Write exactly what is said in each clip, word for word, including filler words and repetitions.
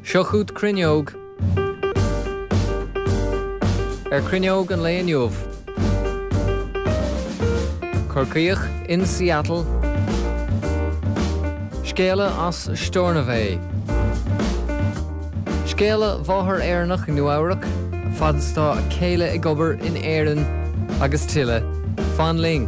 Seo chugat Cruinneog. Ar Cruinneog an lae inniu. Corcaíoch in Seattle. Scéala as Stornoway. Scéala mháthair Éireannach i Nua-Eabhrac, fad is atá a céile ag obair in Éirinn agus tuilleadh. Fan linn.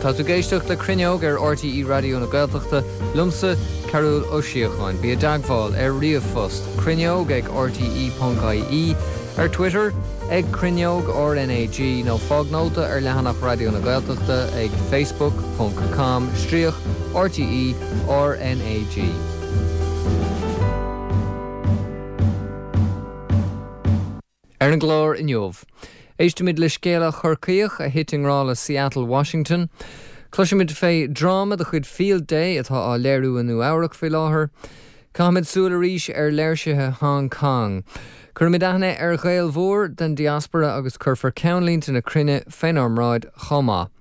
Tá tú ag éisteacht le Cruinneog ar RTÉ Raidió na Gaeltachta, liomsa, Cearbhall Ó Síocháin. Bí i dteagmháil ar ríomhphost, cruinneog ag rte ponc ie, ar Twitter ag Cruinneog RnaG nó fág nóta ar leathanach Raidió na Gaeltachta ag facebook ponc com stríoc RTÉ RnaG. Ar an gclár inniu, éistimid le scéala Chorcaíoch a thit i ngrá le Seattle, Washington. Cloisimid fé dráma de chuid Field Day atá á léiriú i Nua-Eabhrac faoi láthair. Caithfimid súil arís ar léirsithe Hong Kong. Cuirfimid aithne ar Ghael mhór den diaspora agus cuirfear ceannlínte na cruinne fénár mbráid chomh maith.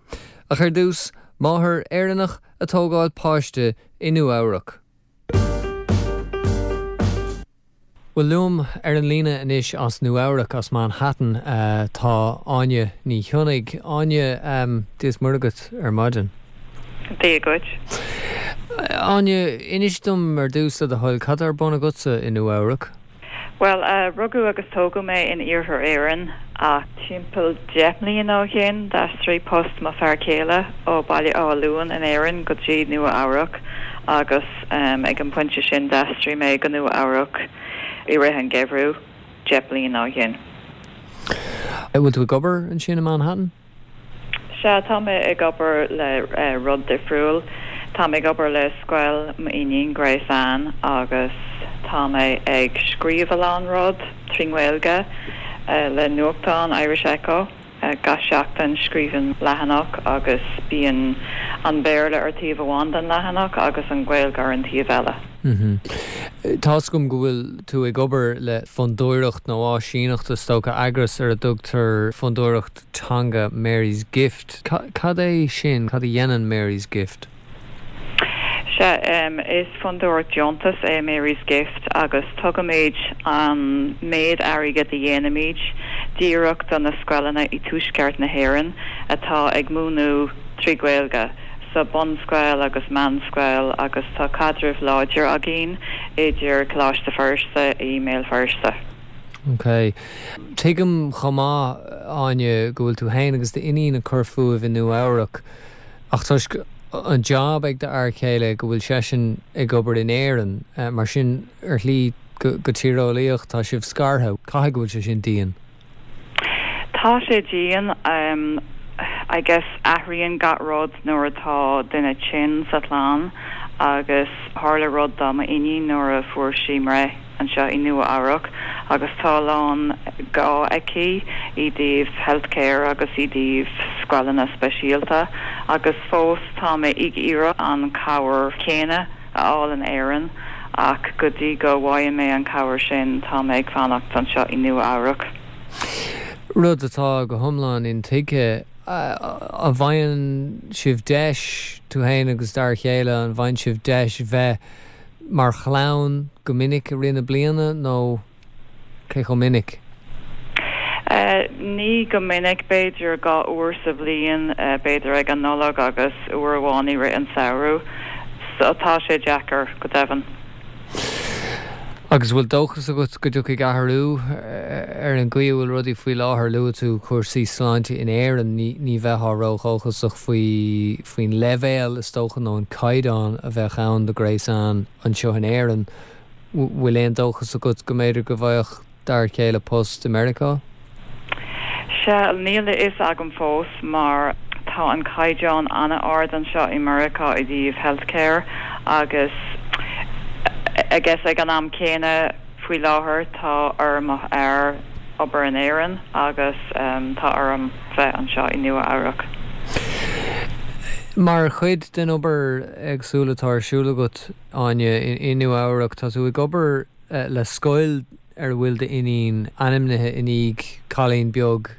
Ach ar dtús, máthair Éireannach ag tógáil páiste i Nua-Eabhrac. Bhuel, liom ar an líne anois as Nua-Eabhrac, as Manhattan, tá Áine Ní Chionnaigh. Áine, Dia is Muire dhuit ar maidin. Dia dhuit. Áine, inis dom ar dtús le do thoil, cad tá ar bun agatsa i Nua-Eabhrac? Bhuel, rugadh agus tógadh mé in Iarthar Éireann ach timpeall deich mbliana ó shin d'aistrigh post mo fear céile ó Baile Átha Luain in Éirinn go dtí Nua-Eabhrac agus ag an bpointe sin d'aistrigh mé go Nua-Eabhrac i rith an gheimhridh deich mbliana ó shin. An bhfuil tú ag obair ansin i Manhattan? Sea, tá mé ag obair le rud difriúil. Tá mé ag obair le scoil m'iníon, Grace Anne, agus tá mé ag scríobh a lán rud trí nGaeilge le nuachtán Irish Echo. Gach seachtain scríobhaim leathanach agus bíonn an Béarla ar taobh amháin den leathanach agus an Ghaeilge ar an taobh eile. Tá's agam go bhfuil tú ag obair le fondúireacht nó áisíneacht is dócha, eagras ar a dtugtar Fondúireacht Teanga Mary's Gift. Cad é sin? Cad a dhéanann Mary's Gift? Sea, is fondúireacht deontais é Mary's Gift agus tugaimid an méid airgid a dhéanaimid díreach do na scoileanna i dtuaisceart na hÉireann atá ag múineadh trí Ghaeilge, sa bunscoil agus meánscoil agus tá caidreamh láidir againn idir Coláiste Feirste i mBéal Feirste. Ok. Tuigim chomh maith, Áine, go bhfuil tú féin agus d'iníon ag cur fúibh i Nua-Eabhrac. Ach toisc an job ag d'fhear céile go bhfuil seisean ag obair in Éirinn, mar sin ar shlí go tíreolaíoch tá sibh scartha. Caithfidh go bhfuil sé sin dian. Tá sé dian. I guess athraíonn gach rud nuair atá duine tinn sa chlann agus tharla rud do m'iníon nuair a fuair sí breith anseo i Nua Eabhrac agus tá a lán gá aici i dtaobh healthcare agus i dtaobh scoileanna speisialta agus fós tá mé ag iarraidh an cabhair chéanna a fháil in Éirinn ach go dtí go bhfaighidh mé an cabhair sin tá mé ag fanacht anseo i Nua Eabhrac. Rud atá go hiomlán intuigthe. An bhfaigheann sibh deis, tú féin agus d'fhear chéile, an bhfaigheann sibh deis bheith mar chlann go minic i rith na bliana nó cé chomh minic? Ní go minic, b'fhéidir dhá uair sa bhliain, b'fhéidir ag an Nollaig agus uair amháin i rith an samhradh. So tá sé deacair, go deimhin. Agus bhfuil dóchas agat go dtiocfaidh athrú ar an gcaoi a bhfuil rudaí faoi láthair? Luaigh tú cúrsaí sláinte in Éirinn, ní bheifeá ródhóchasach faoi faoin leibhéal, is dócha, nó an caighdeán a bheadh ann do Grace Anne anseo in Éirinn. Bhfuil aon dóchas agat go mb'fhéidir go bhfaigheadh d'fhear céile post i Meiriceá? Sea, níl a fhios agam fós mar tá an caighdeán an-ard anseo i Meiriceá i dtaobh healthcare agus I guess ag an am céanna faoi láthair tá ar mo fhear obair in Éirinn agus tá orm bheith anseo i Nua Eabhrac. Mar chuid den obair éagsúil atá ar siúl agat, Áine, i Nua Eabhrac, tá tú ag obair le scoil ar a bhfuil d'iníon ainmnithe i ndiaidh cailín beag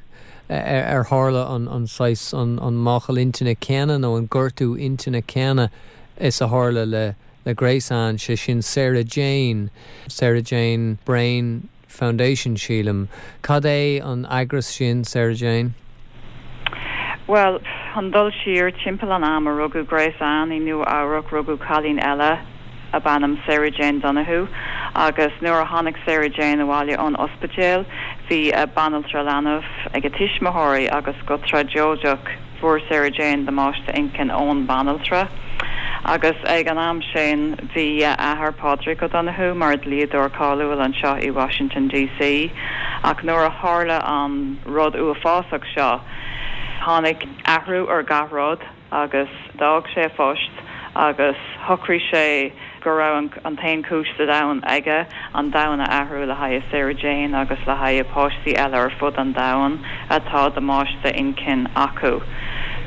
Ar tharla an an saghas an an máchail intinne céanna nó an gortú intinne céanna is a tharla le le Grace Ann sé sin Sarah Jane, Sarah Jane Brain Foundation sílim. Cad é an eagras sin Sarah Jane? Well, an dul siar timpeall an am a rugadh Grace Ann i Nua Eabhrac rugadh cailín eile ab ainm Sarah Jane Donoghue agus nuair a tháinig Sarah Jane abhaile ón ospidéal bhí a banaltra leanbh ag a tuismitheoirí agus go tragóideach fuair Sarah Jane damáiste intinne ón banaltra. Agus ag an am sin bhí athair Pádraig O'Donoghue mar dlíodóir cáiliúil anseo i Washington DC ach nuair a tharla an rud uafásach seo tháinig athrú ar gach rud agus d'fhág sé a phost agus shocraigh sé go raibh an t-aon chúis sa domhan aige an domhan a athrú le haghaidh Sarah Jane agus le haghaidh páistí eile ar fud an domhain atá damáiste intinne acu.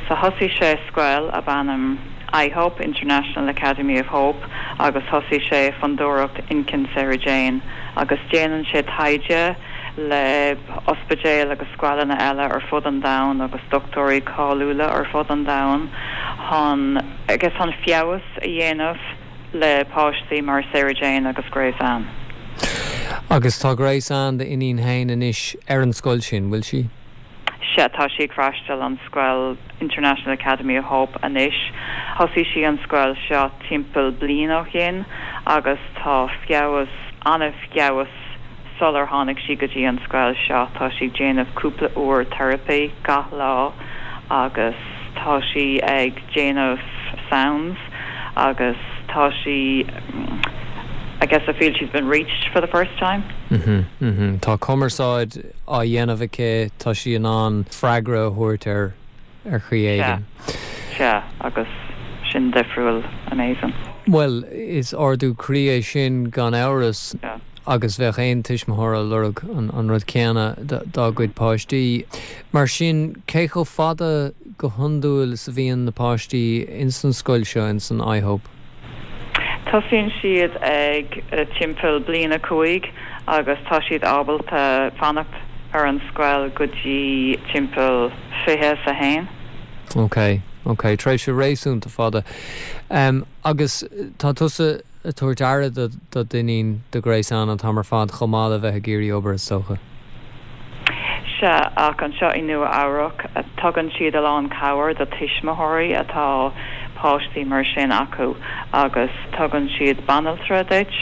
So thosaigh sé scoil ab ainm iHope International Academy of Hope agus thosaigh sé fondúireacht Intinn Sarah Jane agus déanann sé taighde le ospidéil agus scoileanna eile ar fud an domhain agus dochtúirí cáiliúla ar fud an domhain chun agus an feabhas a dhéanamh le páistí mar Sarah Jane agus Grace Ann. Agus tá Grace Ann d'iníon féin anois ar an scoil sin, bhfuil sí? Sea tá sí ag freastal an scoil International Academy of Hope anois. Thosaigh sí an scoil seo timpeall bliain ó shin agus tá feabhas an-fheabhas sular tháinig sí go dtí an scoil seo tá sí déanamh cúpla uair therapy gach lá agus tá sí ag déanamh sounds agus tá sí I guess I feel she's been reached for the first time. Mm -hmm, mm -hmm. Tá cumarsáid á dhéanamh aici tá sí in ann freagra a thabhairt ar ar chaoi éigin. Sea agus sin difriúil amazing. Well, is ardú croí é sin gan amhras Yeah. agus bheadh aon tuismitheoir ag lorg an, an rud céanna dá gcuid páistí. Mar sin cé chomh fada go hiondúil is a bhíonn na páistí ins an scoil seo in san iHope. Tosaíonn siad ag uh, timpeall bliain a cúig agus tá siad ábalta fanacht ar an scoil go dtí timpeall fiche a haon. Ok, ok, tréimhse réasúnta fada. Um, agus tá tusa ag tabhairt aire do do d'iníon do Grace Ann an t-am ar fad chomh maith le bheith ag iarraidh obair is dócha. Sea ach anseo i Nua Eabhrac tugann siad a lán cabhair do tuismitheoirí atá páistí mar sin acu agus tugann siad banaltra duit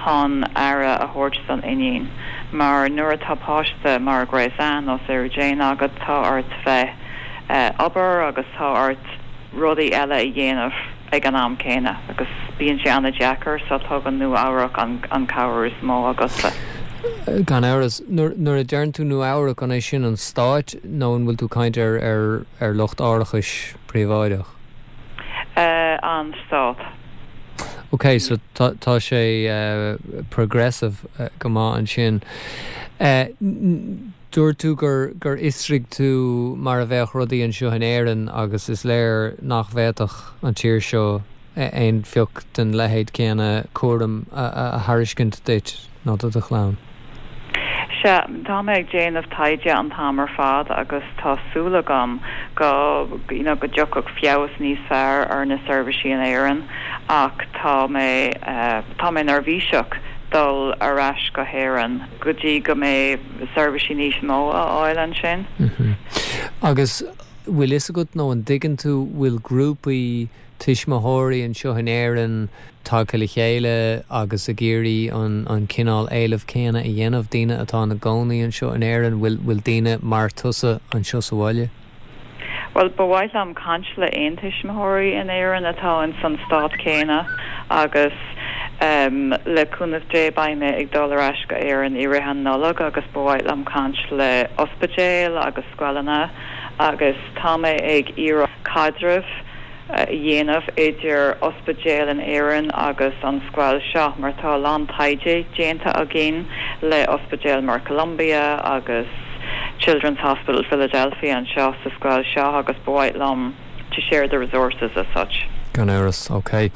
chun aire a thabhairt don iníon. Mar nuair atá páiste mar Grace Ann nó Sarah Jane agat tá ort bheith uh, obair agus tá ort rudaí eile a dhéanamh ag an am céanna agus bíonn sé an-deacair so tugann Nua Eabhrac an, an cabhair is mó agatsa. Gan amhras nuair a deireann tú Nua Eabhrac an é sin an stát nó an bhfuil tú caint ar ar ar lucht árachais príobháideach. Uh, an stát. Ok, so tá tá sé uh, progressive uh, go maith ansin. Uh, Dúirt tú gur gur fhiosraigh tú mar a bheadh rudaí anseo in Éirinn agus is léir nach bhféadfadh an tír seo aon phioc den leithéid céanna cúram a, a, a thairiscint duit nó do do chlann. Sea tá mé ag déanamh taighde an t-am ar fad agus tá súil agam go you know, go dtiocfadh feabhas níos fearr ar na seirbhísí in Éirinn ach tá mé uh, tá mé neirbhíseach dul ar ais go hÉirinn go dtí go mbeidh seirbhísí níos mó a fháil ansin. Mm -hmm. Agus bhfuil fhios agat nó an dtuigeann tú bhfuil grúpaí tuismitheoirí anseo in Éirinn tagtha le chéile agus ag iarraidh an, an cineál éilimh céanna a dhéanamh daoine atá ina gcónaí anseo in Éirinn bhfuil bhfuil daoine mar tusa anseo sa bhaile? Well ba mhaith liom caint le aon tuismitheoirí in Éirinn atá in san stát céanna agus um, le cúnamh Dé beidh mé ag dul ar ais go Éirinn i rith an Nollag agus ba mhaith liom caint le ospidéil agus scoileanna agus tá mé ag iarraidh caidreamh a dhéanamh idir ospidéal in Éirinn agus an scoil seo mar tá lán taighde déanta againn le ospidéal mar Columbia agus Children's Hospital Philadelphia anseo sa scoil seo agus ba mhaith liom to share the resources as such. Gan amhras, ok.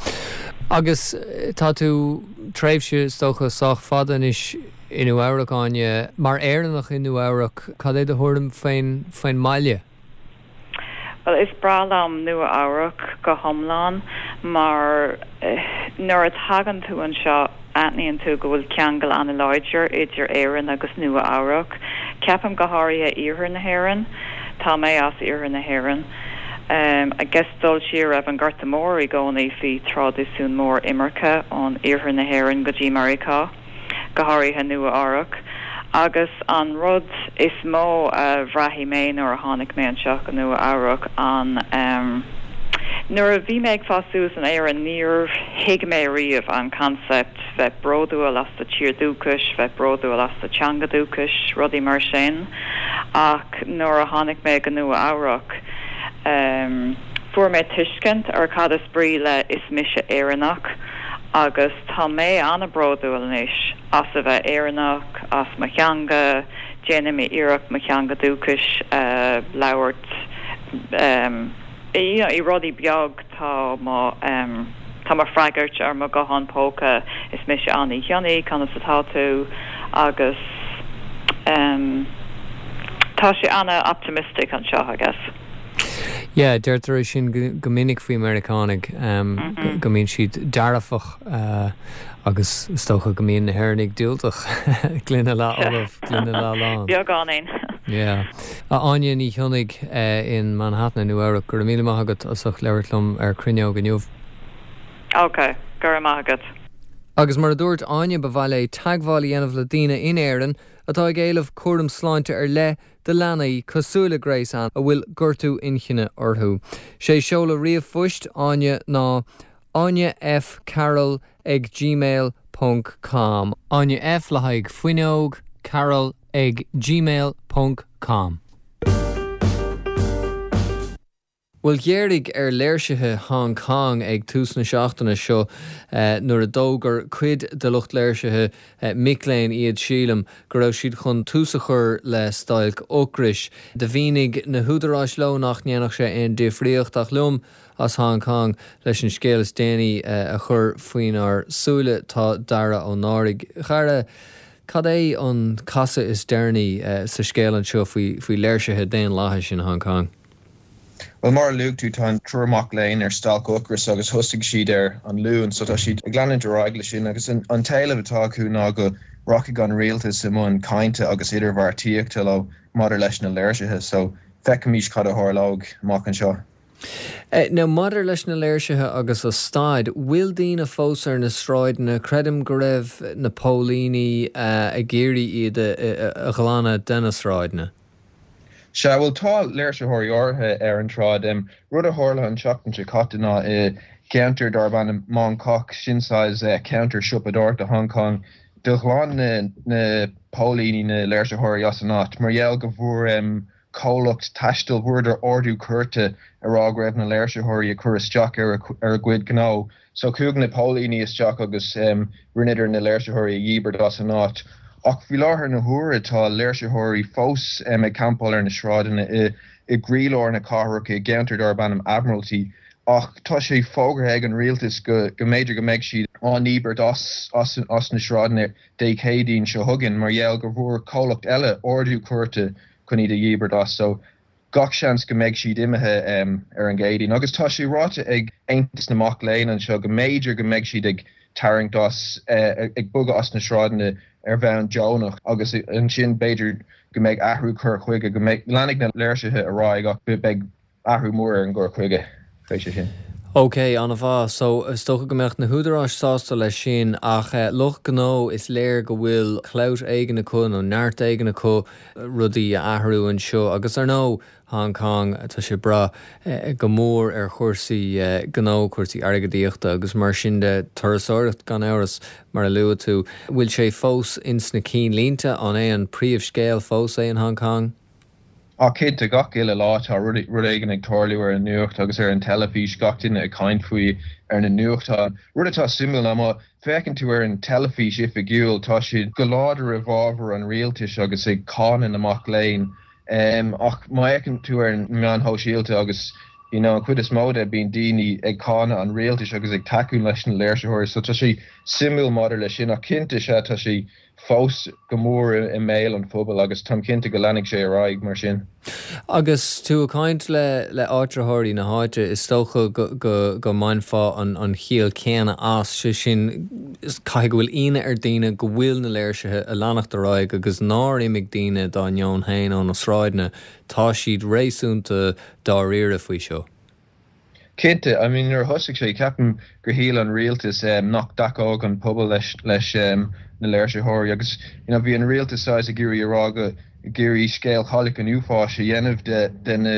Agus eh, tá tú tréimhse is dócha sách fada anois i Nua Eabhrac Áine mar Éireannach i Nua Eabhrac cad é do thuairim faoin faoin mbaile. Well is breá liom Nua Eabhrac go hiomlán mar eh, nuair a thagann tú anseo aithníonn tú go bhfuil ceangal an-láidir idir Éirinn agus Nua Eabhrac. Ceapaim go háirithe iarthar na hÉireann, Tá mé as iarthar na hÉireann. Um, I guess dul siar roimh an Gorta Mór i gcónaí bhí traidisiún mór imirce ón iarthar na hÉireann go dtí Meiriceá, go háirithe Nua Eabhrac. Agus an rud is mó a bhraith mé nuair a tháinig mé anseo go Nua Eabhrac an um, Nuair a bhí mé ag fás suas in Éirinn níor thuig mé riamh an concept bheith bródúil as do tír dúchais, bheith bródúil as do teanga dúchais, rudaí mar sin, ach nuair a tháinig mé go Nua Eabhrac um, fuair mé tuiscint ar cad is brí le is mise Éireannach agus tá mé an-bhródúil anois as a bheith Éireannach as mo theanga, déanaim iarracht mo theanga dúchais uh, labhairt um, i, i rudaí beag tá mo um, tá mo freagairt ar mo guthán póca is mise Áine Ní Chionnaith conas atá tú agus um, tá sé an-optimistic anseo I guess. Yeah, deirtear sin go minic faoi Meiriceánaigh um, mm -hmm. go mbíonn siad dearfach uh, agus is dócha go mbíonn na hÉireannaigh diúltach gloine leath gloine leath lán. Beagáinín. Yeah. A Áine Ní Chionnaith uh, in Manhattan Nua Eabhrac go raibh míle maith agat as ucht labhairt liom ar Cruinneog inniu. Ok, go raibh maith agat. Agus mar a dúirt Áine ba mhaith léi teagmháil a dhéanamh le daoine in Éirinn atá ag éileamh cúram sláinte ar leith do leanaí cosúil le Grace Ann a bhfuil gortú inchinne orthu. Sé seoladh ríomhphoist Áine ná Áine F Carroll ag gmail ponc com. Áine F le haghaidh fuinneog Carroll ag gmail ponc com. Bhuel ghéaraigh ar léirsithe Hong Kong ag tús na seachtaine seo eh, nuair a d'fhógair cuid de lucht léirsithe eh, mic léinn iad sílim go raibh siad chun tús a chur le stailc ocrais. Do mhínigh na húdaráis leo nach ndéanfadh sé aon difríocht ach liom as Hong Kong leis an scéal is déanaí eh, a chur faoinár súile tá Dara Ó Náraigh. Dara, cad é an casadh is deireanaí eh, sa scéal anseo faoi faoi léirsithe daonlathais in Hong Kong? Well mar a luaigh tú tá an triúr mac léinn ar stailc ocrais agus thosaigh siad ar an Luan, so tá siad ag leanúint ar aghaidh leis sin agus an, an t-éileamh atá acu ná go rachaidh an rialtas i mbun cainte agus idirbheartaíochta leo maidir leis na léirsithe, so feicfimid cad a tharlóidh amach anseo. Eh, Now maidir leis na léirsithe agus a staid, bhfuil daoine fós ar na sráideanna creidim go raibh na póilíní uh, ag iarraidh iad a, a, a ghlanadh de na sráideanna. Sea bhuel tá léirsitheoirí áirithe ar an tsráid um, rud a tharla an tseachtain seo caite ná i gceantar darb ainm Mong Kok sin saghas uh, ceantar siopadóireachta Hong Kong do ghlan na, na póilíní na léirsitheoirí as an áit mar gheall go bhfuair um, comhlacht taistil bhfuaireadar ordú cúirte ag rá go raibh na léirsitheoirí ag cur isteach ar a, ar a gcuid gnó. So chuaigh na póilíní isteach agus um, rinneadar na léirsitheoirí a dhíbirt as an áit. Ach faoi láthair na huaire tá léirsitheoirí fós um, ag campáil ar na sráideanna i, i gcroílár na cathrach i gceantar darb ainm Admiralty. Ach tá sé fógartha ag an rialtas go, go mb'fhéidir go mbeidh siad á ndíbirt as, as, as na sráideanna Dé Céadaoin seo chugainn mar gheall go bhfuair comhlacht eile ordú cúirte chun iad a dhíbirt as so gach seans go mbeidh siad imithe um, ar an gCéadaoin. Agus tá sé ráite ag Aontas na Mac Léinn anseo go mb'fhéidir go mbeidh siad ag tarraingt as uh, ag bogadh as na sráideanna ar bhonn deonach agus ansin b'fhéidir go mbeidh athrú cur chuige go mbeidh leanfaidh na léirsithe ar aghaidh ach beidh athrú mór ar an gcur chuige fé sin. Ok, an-mhaith, so is dócha go mbeadh na húdaráis sásta leis sin ach eh, lucht gnó is léir go bhfuil clout éigin acu nó neart éigin acu rudaí a athrú anseo agus ar ndóigh Hong Kong tá sé breá eh, go mór ar chúrsaí eh, gnó cúrsaí airgeadaíochta agus mar sin de turasóireacht gan amhras mar a luaigh tú. Bhfuil sé fós ins na ceannlínte an é an príomhscéal fós é in Hong Kong? Á cinnte gach uile lá tá rud éigin ag tarlú ar an nuacht agus ar an teilifís gach duine ag caint faoi ar na nuachtáin. Rud atá suimiúil ná má fhéachann tú ar an teilifís oifigiúil tá siad go láidir i bhfabhar an rialtais agus ag cáineadh na mac léinn. Um, ach má fhéachann tú ar an meáin shóisialta agus you know, an chuid is mó de bíonn daoine ag cáineadh an rialtais agus ag tacú leis na léirsitheoirí, so tá sé suimiúil maidir leis sin ach cinnte sea tá sé fós go mór i mbéal an phobail agus táim cinnte go leanfaidh sé ar aghaidh mar sin. Agus tú ag caint le le áitritheoirí na háite is dócha go go go mbainfeá an an chiall céanna as sé sin caithfidh go bhfuil ionadh ar daoine go bhfuil na léirsithe ag leanacht ar aghaidh agus nár imigh daoine dá ndeoin féin ó na sráideanna tá siad réasúnta dáiríre faoi seo. Cinnte, I mean nuair a thosaigh sé ceapaim gur shíl an rialtas um, nach dtacódh an pobal leis leis um, na léirsitheoirí agus you know, bhí an rialtas saghas ag iarraidh a rá go ag iarraidh scéal Chailleach an Uafáis a dhéanamh de de na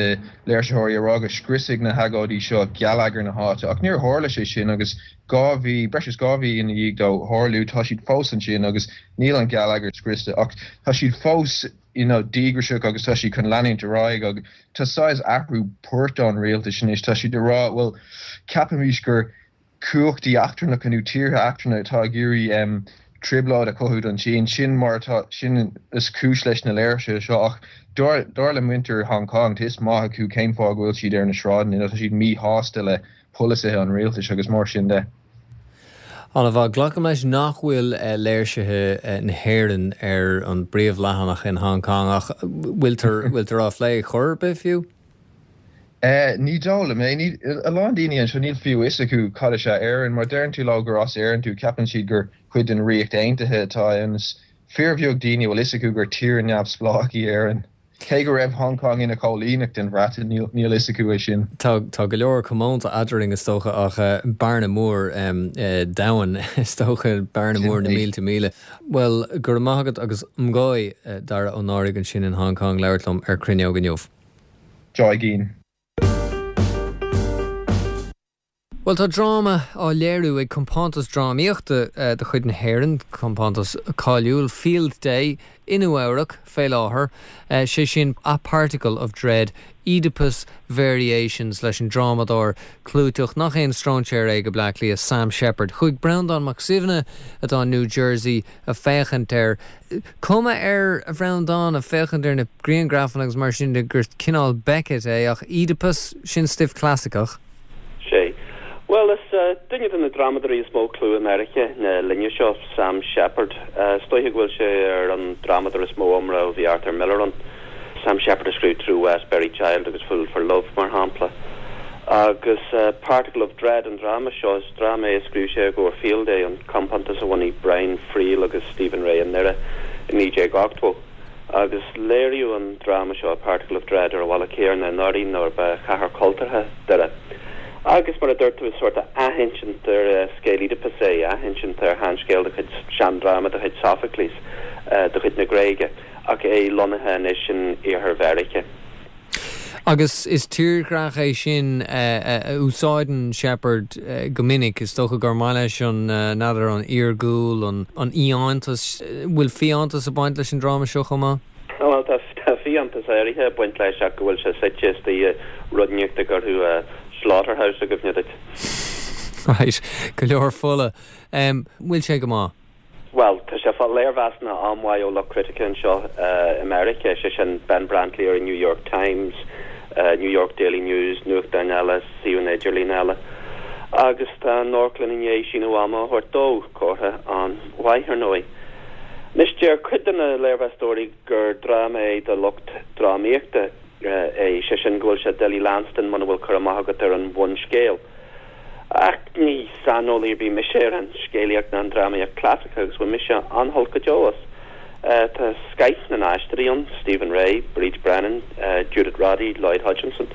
léirsitheoirí a rá go scriosfaidh na hagóidí seo geilleagar na háite ach níor tharla sé sin agus dhá mhí breis is dhá mhí ina dhiaidh dó tharlú tá siad fós ansin agus níl an geilleagar scriosta ach tá siad fós you know, díograiseach agus tá siad chun leanúint ar aghaidh agus tá saghas athrú poirt an rialtais anois tá siad ag rá well ceapaimid gur cumhachtaí eachtrannacha nó tíortha eachtrannacha atá ag iarraidh um, trioblóid a chothú don Sín sin mar atá sin is cúis leis na léirsithe seo ach dar dar le muintir Hong Kong tá a fhios maith acu cén fáth go bhfuil siad ar na sráideanna tá siad míshásta le polasaithe an rialtais agus mar sin de. An-mhaith glacaim leis nach bhfuil eh, léirsithe eh, na hÉireann ar an bpríomhleathanach in Hong Kong ach bhfuiltear bhfuiltear á phlé chor ar bith fiú? Uh, ní dóigh mé ní a lán daoine anseo níl fiú a fhios acu cad is ea Éirinn mar deireann tú leo gur as Éirinn tú ceapann siad gur cuid den Ríocht Aontaithe atá ann is fíorbheag daoine bhfuil a fhios acu gur tír neamhspleách í Éirinn. Cé go raibh Hong Kong ina choilíneacht den Bhreatain níl a fhios acu é sin. Tá tá go leor comónta eadrainn is dócha ach uh, bearna mór um, uh, domhan is dócha bearna mór na mílte míle. Well go raibh maith agat agus唔該uh, Dara Ó Náraigh ansin in Hong Kong labhairt liom ar Cruinneog inniu. Joigín. Well tá dráma á léiriú ag compántas drámaíochta uh, de chuid na hÉireann, compántas cáiliúil Field Day i Nua-Eabhrac fé láthair, uh, sé sin A Particle of Dread, Oedipus Variations leis an drámadóir clúiteach nach aon stróinséir é go Bleá Cliath Sam Shepard. Chuaigh Breandán Mac Suibhne atá New Jersey ag féachaint air. Cuma air a Bhreandáin ag féachaint ar na grianghrafanna agus mar sin de gur cineál Beckett é ach Oedipus sin stuif clasaiceach. Sé. Well is uh, duine de na drámadóirí is mó clú i Meiriceá na linne seo Sam Shepard. Uh, is dóiche go bhfuil sé ar an drámadóir is mó iomrá ó bhí Arthur Miller ann. Sam Shepard a scríobh True West, Buried Child agus Fool for Love mar shampla. Agus uh, Particle of Dread an dráma seo is dráma é a scríobh sé i gcomhair Field Day an compántas a bhunaigh Brian Friel agus Stephen Rea i nDoire i naoi déag ochtó. Agus léiríodh an dráma seo Particle of Dread ar an bhaile céanna anuraidh nuair ba chathair chultúrtha Doire. Agus mar a dúirt tú is sórt athinsint ar uh, scéal Oedipus é athinsint ar sheanscéal de chuid seandráma de chuid Sophocles uh, de chuid na Gréige ach é lonnaithe anois in iarthar Mheiriceá. Agus is tírdhreach é sin uh, uh, úsáideann Shepard uh, go minic is dócha gur maith leis an uh, nádúr an iargúil an an fhiántas bhfuil fiántas ag baint leis an dráma seo chomh maith? Well tá fiántas áirithe ag baint leis ach go bhfuil sé suite istigh i rud inteacht a chuirfeadh slaughterhouse i gcuimhne duit. Right, go leor fola. Um, bhfuil sé go maith? Well, tá sé fáil léirmheasanna an-mhaith ó lucht critice anseo uh, i Meiriceá sé sin Ben Brantley ar New York Times, uh, New York Daily News, nuachtáin eile, suíomhanna idirlín eile. Agus tá an amharclann i ndiaidh síneadh ama a thabhairt dó comhartha an-mhaith ar ndóigh. Anois deir cuid de na léirmheastóirí gur dráma é do lucht drámaíochta é sé sin go bhfuil sé doiligh leanstan muna bhfuil cur amach agat ar an bhunscéal. Ach ní saineolaí ar bith mise ar an scéalaíocht ná an drámaíocht chlasaiceach agus bhain mise an-shult go deo as. Uh, tá scoth na n-aisteoirí ann Stephen Rea, Bríd Brennan, uh, Judith Roddy, Lloyd Hutchinson.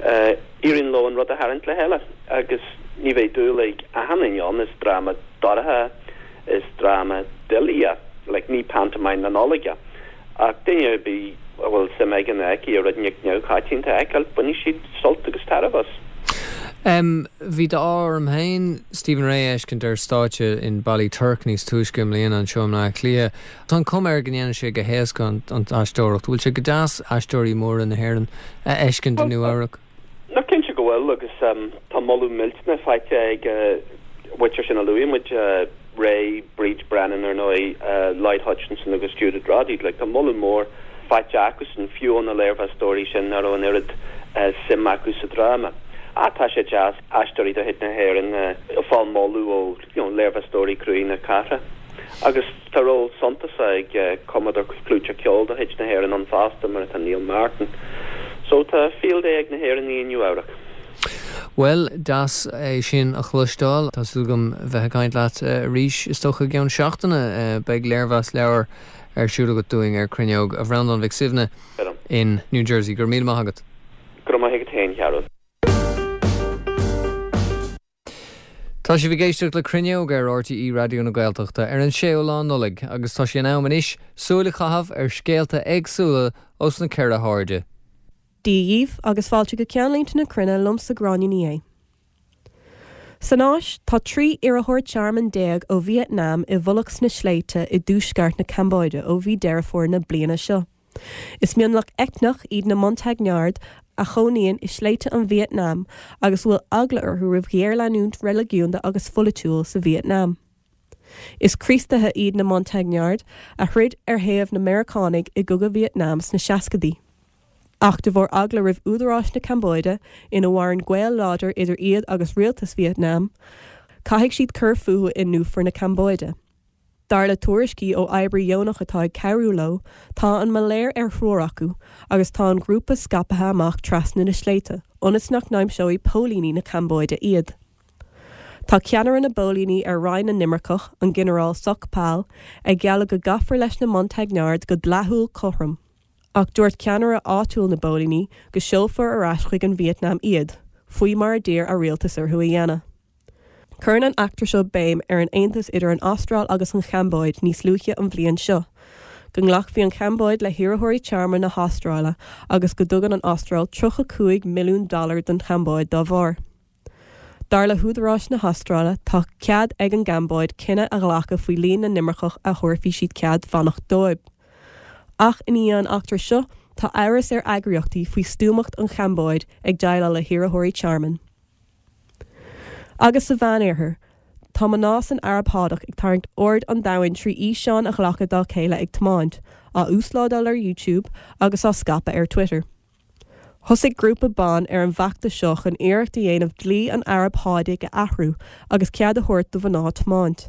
Uh, Éiríonn leo an rud a tharraingt le chéile agus ní bheidh dúil ag achan duine ann is dráma dorcha is dráma doiligh é, like ní pantomime na Nollag é. Ach duine ar bith a bhfuil suim aige nó aici i rud inteacht neamhchoitianta a fheiceáil bainfidh siad sult agus tairbhe as. Um, bhí d'ádh orm féin Stephen Rea a fheiscint ar stáitse in Ballyturk níos túisce i mbliana anseo i mBleá Cliath. Tá an chuma air go ndéanann sé go héasca an, an aisteoireacht, bhfuil sé go deas aisteoirí móra na hÉireann a fheiscint i Nua-Eabhrac. Ná cinnte go bhfuil agus um, tá moladh millteanach faighte ag uh, muintir sin a luaigh muid uh, Rea, Bríd Brennan ar ndóigh uh, Lloyd Hutchinson agus Judith Roddy, like, tá moladh mór faighte acusan fiú na léirmheastóirí sin nach raibh an oiread uh, suim acu sa dráma. Ach tá sé deas aisteoirí de chuid na hÉireann uh, fáil moladh ó you know, léirmheastóirí croí na cathrach. Agus tá ról suntasach ag cumadóir clúiteach ceoil de chuid na hÉireann ann fosta mar atá Neil Martin. So tá field day ag na hÉireannaigh i Nua-Eabhrac. Well deas é sin a chloisteáil Tá súil agam bheith ag caint leat arís is dócha i gceann seachtaine beidh léirmheas leabhar ar siúl agat dúinn ar Cruinneog a Bhreandáin Mhic Suibhne in New Jersey gur míle maith agat. Gur maith agat féin Chearúil. Tá sibh ag éisteacht le Cruinneog ar RTÉ Raidió na Gaeltachta ar an séú lá Nollaig agus tá sé in am anois súil a chaitheamh ar scéalta éagsúla ós na ceithre hairde. Dia dhaoibh agus fáilte go ceannlínte na cruinne liomsa Gráinne Ní Aodha. San Áis tá trí iarrthóir tearmainn déag ó Vietnam i bhfolach sna sléibhte i dtuaisceart na Cambóide ó mhí Deireadh Fómhair na bliana seo. Is mionlach eitneach iad na Montagnard a chónaíonn i sléibhte an Vietnam agus bhfuil eagla orthu roimh ghéarleanúint reiligiúnda agus pholaitiúil sa Vietnam. Is Críostaithe iad na Montagnard a throid ar thaobh na Meiriceánaigh i gcogadh Vietnam sna seascaidí. Ach de bharr eagla roimh údaráis na Cambóide ina mhaireann gaol láidir idir iad agus rialtas Vietnam, caithfidh siad cur fúthu i ndúiche na Cambóide. Dar le tuairiscí ó oibrí dheonach atá ag cabhrú leo, tá an malaeir ar thriúr acu agus tá an grúpa scaipthe amach trasna na sléibhte, ionas nach n-aimseoidh póilíní na Cambóide iad. Tá ceannaire na bpóilíní ar Roinn na nImirceach, an Ginearál Sok Phal, ag gealladh go gcaithfear leis na Montagnard go dleathúil cothrom. Ach dúirt ceannaire áitiúil na bpóilíní go seolfar ar ais chuig an Vietnam iad, faoi mar a d'iarr a rialtas orthu a dhéanamh. Cuireann an eachtra seo béim ar an aontas idir an Astráil agus an Chambóid níos luaithe an bhliain seo, go nglacfaidh an Chambóid le hiarrthóirí tearmainn na hAstráile agus go dtugann an Astráil tríocha cúig milliún dollar don Chambóid dá bharr. Dar le húdaráis na hAstráile, tá cead ag an gCambóid cinneadh a ghlacadh faoi líon na n-imirceach a thabharfaidh siad cead fanacht dóibh. Ach i ndiaidh an eachtra seo, tá amhras ar eagraíochtaí faoi stuamacht an Chambóid ag déileáil le hiarrthóirí tearmainn. Agus sa Mheánoirthear, tá mná san Araib Shádach ag tarraingt aird an domhain trí fhíseáin a ghlacadh dá chéile ag tiomáint, á uaslódáil ar YouTube agus á scaipeadh ar Twitter. Thosaigh grúpa ban ar an bhfeachtas seo chun iarracht a dhéanamh dlí an Araib Shádaigh a athrú agus cead a thabhairt do mhná tiomáint.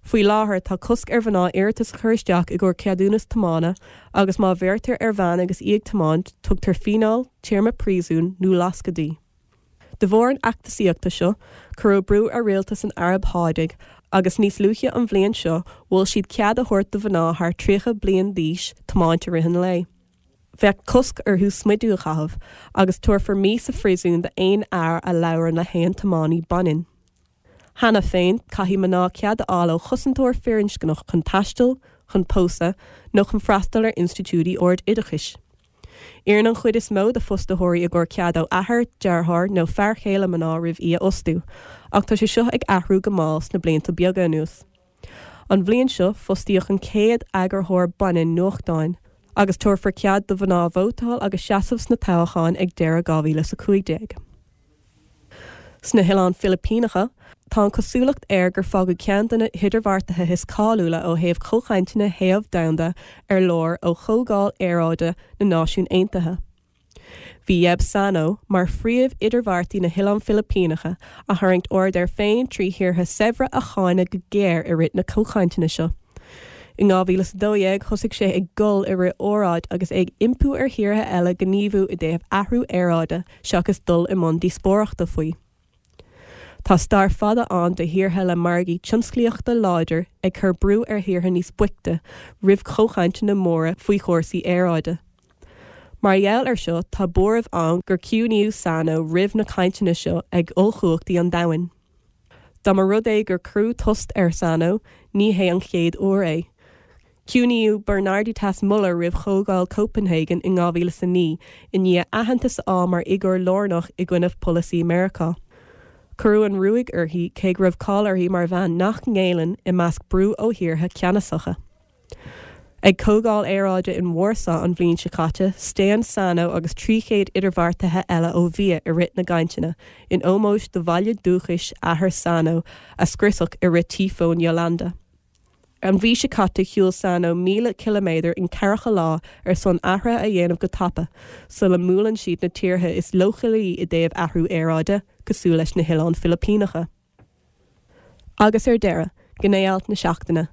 Faoi láthair tá cosc ar mhná iarratas a chur isteach i gcomhair ceadúnas tiomána agus má bheirtear ar bhean agus í ag tiomáint, tugtar fíneáil, téarma príosúin nó lascadh di. De bharr an fheachtasaíochta seo, cuireadh brú ar rialtas an Araib Shádaigh agus níos luaithe an bhliain seo mhol siad cead a thabhairt do mhná thar tríocha bliain d'aois tiomáint i rith an lae. Bheadh cosc orthu smideadh a chaitheamh agus tabharfar mí sa phríosún d'aon fhear a labhrann le haon tiománaí baineann. Cheana féin, caithfidh mná cead a fháil ó chosantóir firinscneach chun taisteal, chun pósadh nó chun freastal ar institiúidí ard-oideachais. Iarrann an chuid is mó de fostaitheoirí i gcomhair cead ó athair, deartháir nó fear céile mná roimh í a fhostú, ach tá sé seo ag athrú go mall sna blianta beaga anuas. An bhliain seo, fostaíodh an chéad eagarthóir baineann nuachtáin, agus tabharfar cead do mhná vótáil agus seasamh sna toghcháin ag deireadh dhá mhíle is a cúig déag. Sna hOileáin Philipíneacha, tá an chosúlacht air gur fágadh ceann de na hidirbheartaithe is cáiliúla ó thaobh comhchainteanna téimh domhanda ar lár ó Chomhdháil Aeráide na Náisiún Aontaithe. Bhí Yeb Saño mar phríomh-idirbheartaí na hOileán Filipíneacha a tharraingt aird air féin trí thíortha saibhre a cháineadh go géar i rith na comhchainteanna seo. In dhá mhíle is a dó dhéag thosaigh sé ag gol i rith óráid agus é ag impí ar thíortha eile gníomhú i dtaobh athrú aeráide seachas dul i mbun díospóireachta faoi. Tá stair fada ann de thíortha le margaí tionsclaíochta láidir ag cur brú ar thíortha níos boichte roimh chomhchainteanna móra faoi chúrsaí aeráide. Mar gheall air seo, tá buaireamh ann gur ciúnaíodh Saño roimh na cainteanna seo ag ollchumhachtaí an domhain. Dá mba rud é gur cuireadh tost ar Saño, ní hé an chéad uair é. Ciúnaíodh Bernardita Muller roimh Chomhdháil Copenhagen in dhá mhíle is a naoi i ndiaidh aitheantas a fháil mar fhigiúr lárnach i gcoinne polasaí Meiriceá. Cuireadh an ruaig uirthi cé go raibh cáil uirthi mar bhean nach ngéilleann i measc brú ó thíortha ceannasacha. Ag Comhdháil Aeráide in Warsaw an bhliain seo caite, staon Saño agus trí chéad idirbheartaithe eile ó bhia i rith na gcainteanna, in ómós do bhaile dúchais athair Saño a scriosadh i rith Tíofún Yolanda. An mhí seo caite shiúil Saño míle ciliméadar in ceathracha lá ar son athruithe a dhéanamh go tapa sula mbuaileann siad na tíortha is leochailí i dtaobh athrú aeráide, cosúil leis na hOileáin Philipíneacha. Agus ar deireadh, gné-alt na seachtaine.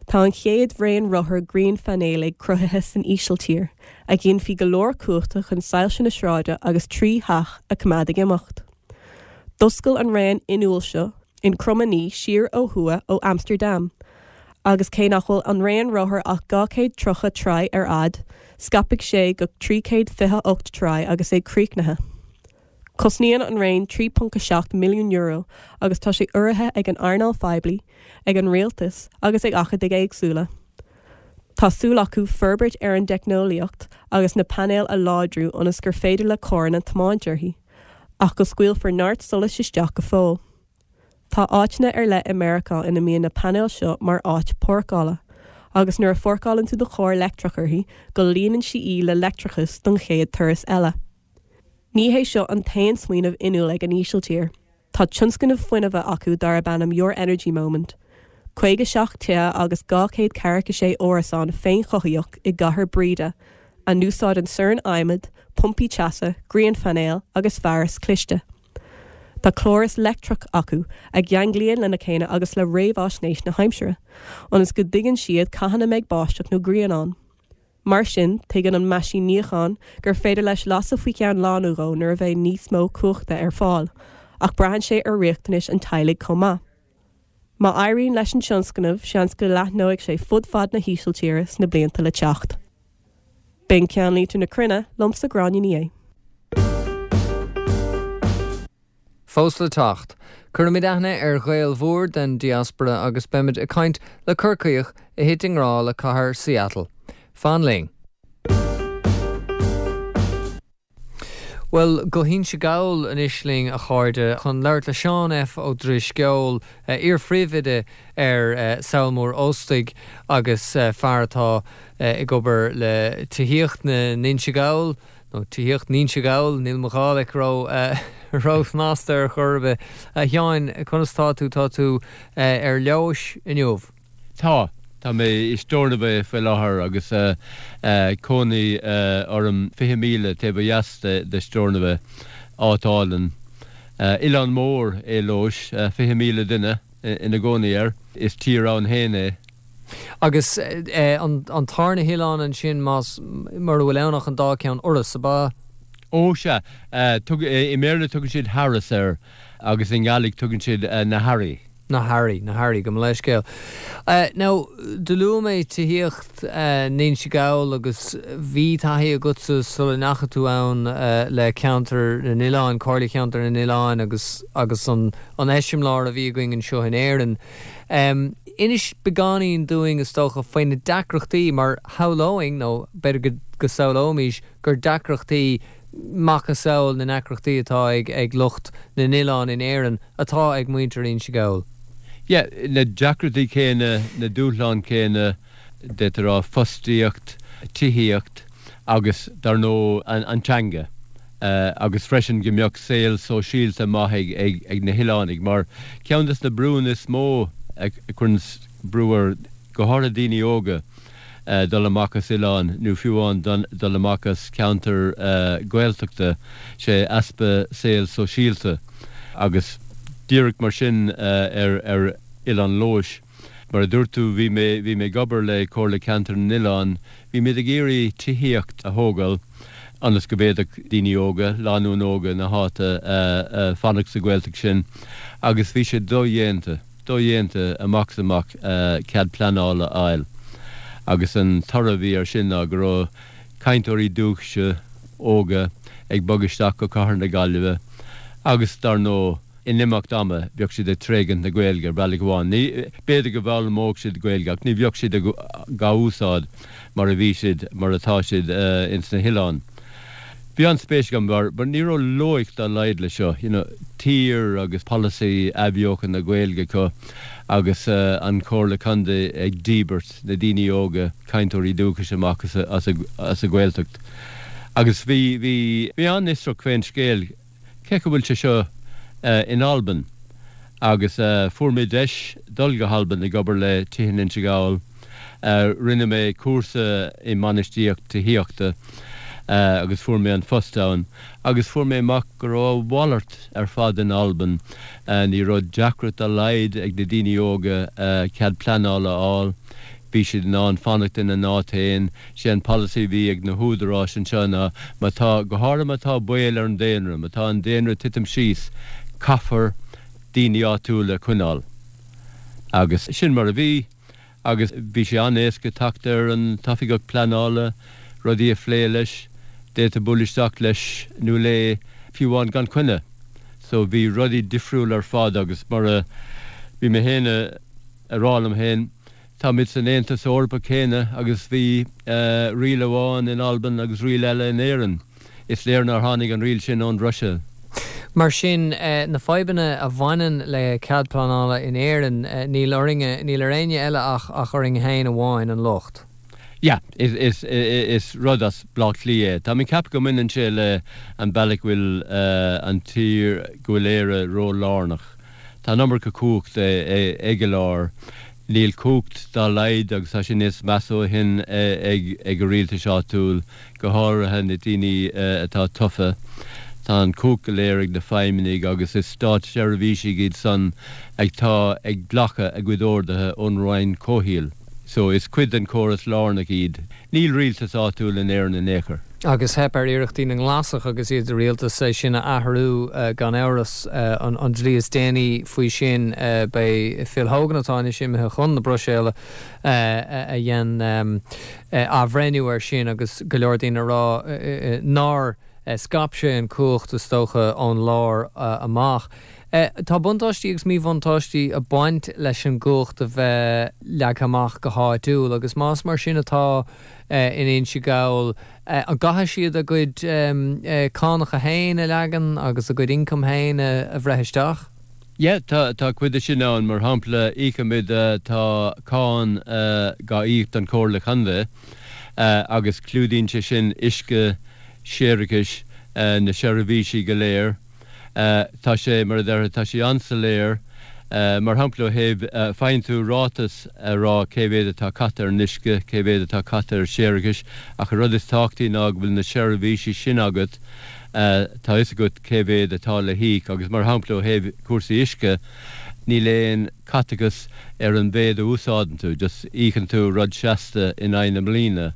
Tá an chéad raon rothar grianphainéalaigh cruthaithe san Ísiltír, a ghinfidh go leor cumhachta chun soilse na sráide agus trí theach a choimeád ag imeacht. D'oscail an raon fhuinniúil seo in Krommenie siar ó thuaidh ó Amsterdam, agus cé nach bhfuil an raon rothar ach dhá chéad tríocha troigh ar fhad, scaipfidh sé go trí chéad fiche ocht troigh agus é críochnaithe. Cosnaíonn an raon trí ponc a seacht milliún euro agus tá sé urraithe ag an earnáil phoiblí, ag an rialtas agus ag acadaigh éagsúla. Tá súil acu forbairt ar an dteicneolaíocht agus na painéil a láidriú ionas gur féidir le carranna tiomáint uirthi, ach go scaoilfear neart solais isteach go fóill. Tá áiteanna ar leith i Meiriceá ina mbíonn na painéil seo mar áit páirceála, agus nuair a pháirceálann tú do charr leictreach uirthi go líonann sí í le leictreachas don chéad turas eile. Ní hé seo an t-aon smaoineamh fhuinniúil ag an Ísiltír. Tá tionscnamh fuinnimh acu darb ainm Your Energy Moment. caoga seacht tithe agus dhá chéad ceathracha sé árasán féinchothaíoch i gcathair Breda, a n-úsáideann soirn adhmaid, pumpaí teasa, grianphainéil agus fearas cliste. Tá córas leictreach acu a cheanglaíonn lena chéile agus le réamhaisnéis na haimsire, ionas go dtuigeann siad cathain a mbeidh báisteach nó grian ann. Mar sin, tuigeann an meaisín níocháin gur féidir leis lasadh faoi cheann lá nó dhó nuair a bheidh níos mó cumhachta ar fáil, ach braitheann sé ar riachtanais an teaghlaigh chomh maith. Má éiríonn leis an tionscnamh, seans go leathnóidh sé fud fad na hÍsiltíre sna blianta le teacht. B'in ceannlínte na cruinne liomsa Gráinne Ní Aodha. Fós le teacht, cuirfimid aithne ar Ghael mhór den diaspora agus beimid ag caint le Corcaíoch a thit i ngrá le cathair Seattle. Fan linn! Bhuel, go hInse Gall anois linn, a chairde, chun labhairt le Seán F. Ó Drisceoil, iar-phríomhoide ar Sabhal Mór Ostaig agus fear atá ag obair le tithíocht na nInse Gall, nó tithíocht n'Inse Gall, níl mo Ghàidhlig ró-shnasta ar chor ar bith. A Sheáin, conas tá tú? Tá tú ar Leodhais inniu? Tá. Tá mé i Stornoway faoi láthair agus cónaí orm fiche míle taobh ó dheas de Stornoway, áit álainn. Oileán mór é Leodhais, fiche míle duine ina gcónaí air. Is tír ann féin é. Agus an tarna hoileán ansin, más, mura bhfuil ann ach an dá ceann, Iorras, ab ea? Ó, sea. I mBéarla tugann siad Harris air agus i nGàidhlig tugann siad na Harraí. Na hAirí, na hAirí, gabh mo leithscéal. Now, do luaigh mé tithíocht n'Inse Gall agus bhí taithí agatsa sula ndeachaigh tú ann le Ceantar na nOileán, Comhairle Cheantar na nOileán agus agus an an eiseamláir a bhí againn anseo in Éirinn. Inis beagáinín dúinn is dócha faoi na deacrachtaí mar shamhlóinn nó b'fhéidir go go samhlóimis gur deacrachtaí macasamhail na ndeacrachtaí atá ag ag lucht na n-oileán in Éirinn atá ag muintir Inse Gall. Yeah, na deacrachtaí céanna, na dúshláin céanna, d'fhéadfá a rá, fostaíocht, tithíocht agus dar ndóigh an teanga agus freisin go mbeadh saol sóisialta maith ag ag na hoileánaigh mar ceann des na brúnna is mó a chuireann brú ar go háirithe daoine óga dul amach as oileán nó fiú amháin dul amach as ceantar Gaeltachta, sé easpa saol sóisialta agus díreach mar sin ar ar Oileán Leodhais. Mar a dúirt tú, bhí mé bhí mé ag obair le Comhairle Ceantar na nOileán, bhí muid ag iarraidh tithíocht a thógáil ionas go bhféadfadh daoine óga, lánúin óga na háite fanacht sa Ghaeltacht sin agus bhí sé dodhéanta. dodhéanta amach is amach cead pleanála a fháil agus an toradh a bhí air sin ná go raibh cainteoirí dúchais óga ag bogadh isteach go cathair na Gaillimhe agus dar ndóigh in imeacht ama bheadh siad ag tréigint na Gaeilge ar bhealach amháin. Ní, b'fhéidir go bhfoghlaimeodh siad Gaeilge ach ní bheadh siad dhá úsáid mar a bhí siad, mar atá siad ins na hoileáin. Bhí an-spéis agam mar ní raibh loighic dá laghad le seo, you know, tír agus polasaí athbheochan na Gaeilge acu agus an Chomhairle Contae ag díbirt na daoine óga, cainteoirí dúchais amach as as an Ghaeltacht. Agus bhí, bhí, bhí an-fhiosrach fén scéal, cén chaoi a bhfuil sé seo in Albain? Agus fuair mé deis dul go hAlbain ag obair le Tithe n'Innse Gall. Rinne mé cúrsa i mbainistíocht tithíochta agus fuair mé an phost ann agus fuair mé amach go raibh a mhalairt ar fad in Albain. Ní raibh deacracht dá laghad ag na daoine óga cead pleanála a fháil. Bhí siad in ann fanacht ina n-áit féin. Sé an polasaí a bhí ag na húdaráis anseo ná má tá, go háirithe má tá baol ar an daonra, má tá an daonra ag titim síos, caithfear daoine áitiúla a choinneáil. Agus sin mar a bhí agus bhí sé an-éasca teacht ar an t-oifigeach pleanála, rudaí a phlé leis, d'fhéadfá bualadh isteach leis nó léi fiú amháin gan coinne. So bhí rudaí difriúil ar fad agus mar a bhí mé féin a rá liom féin, táimid san Aontas Eorpach céanna agus bhí riail amháin in Albain agus riail eile in Éirinn. Is léir nár tháinig an riail sin ón Bhruiséil. Mar sin, na fadhbanna a bhaineann le cead pleanála in Éirinn, níl orainne, níl ar éinne eile ach ach orainn féin amháin an locht. Yeah, is is is rud as Bleá Cliath é. Tá mé ag ceapadh go mbaineann sé le an bealach go bhfuil an tír, go bhfuil Éire ró-lárnach. Tá an iomarca cumhachta ag an lár. Níl cumhacht dá laghad, agus tá sé níos measa ó shin, ag ag an rialtas áitiúil, go háirithe na daoine atá tofa. Tá an chumhacht go léir ag na feidhmeannaigh agus is státseirbhísigh iad san atá ag glacadh a gcuid orduithe ón Roinn Comhshaoil. So is cuid den chóras lárnach iad. Níl rialtas áitiúil in Éirinn in aon chor. Agus theip ar iarrachtaí na nGlasach agus iad i rialtas é sin a athrú gan amhras. An dlí is déanaí faoi sin b'é Phil Hogan atá anois imithe chun na Bruiséile a dhein athbhreithniú air sin agus go leor daoine ag rá nár scaip sé an chumhacht is dócha ón lár amach. Tá buntáistí agus míbhuntáistí ag baint leis an gcumhacht a bheith leagtha amach go háitiúil agus más mar sin atá in Inse Gall, an gcaithfidh siad a gcuid cánacha féin a leagan agus a gcuid ioncaim féin a bhreith isteach? Yeah, tá tá cuid de sin ann. Mar shampla, íocaimid, tá cáin dhá íoc don Chomhairle Contae agus clúdaíonn sé sin uisce, séarachais, na seirbhísí go léir. Tá sé, mar a déarfá, tá sé an-soiléir. Mar shampla, ó thaobh, faigheann tú ráiteas a rá cé mhéad atá caite ar an uisce, cé mhéad atá caite ar séarachais, ach an rud is tábhachtaí ná go bhfuil na seirbhísí sin agat, tá fhios agat cé mhéad atá le híoc agus, mar shampla, ó thaobh cúrsaí uisce, níl aon caiteachas ar an mhéid a úsáideann tú, just íocann tú rud seasta in aghaidh na bliana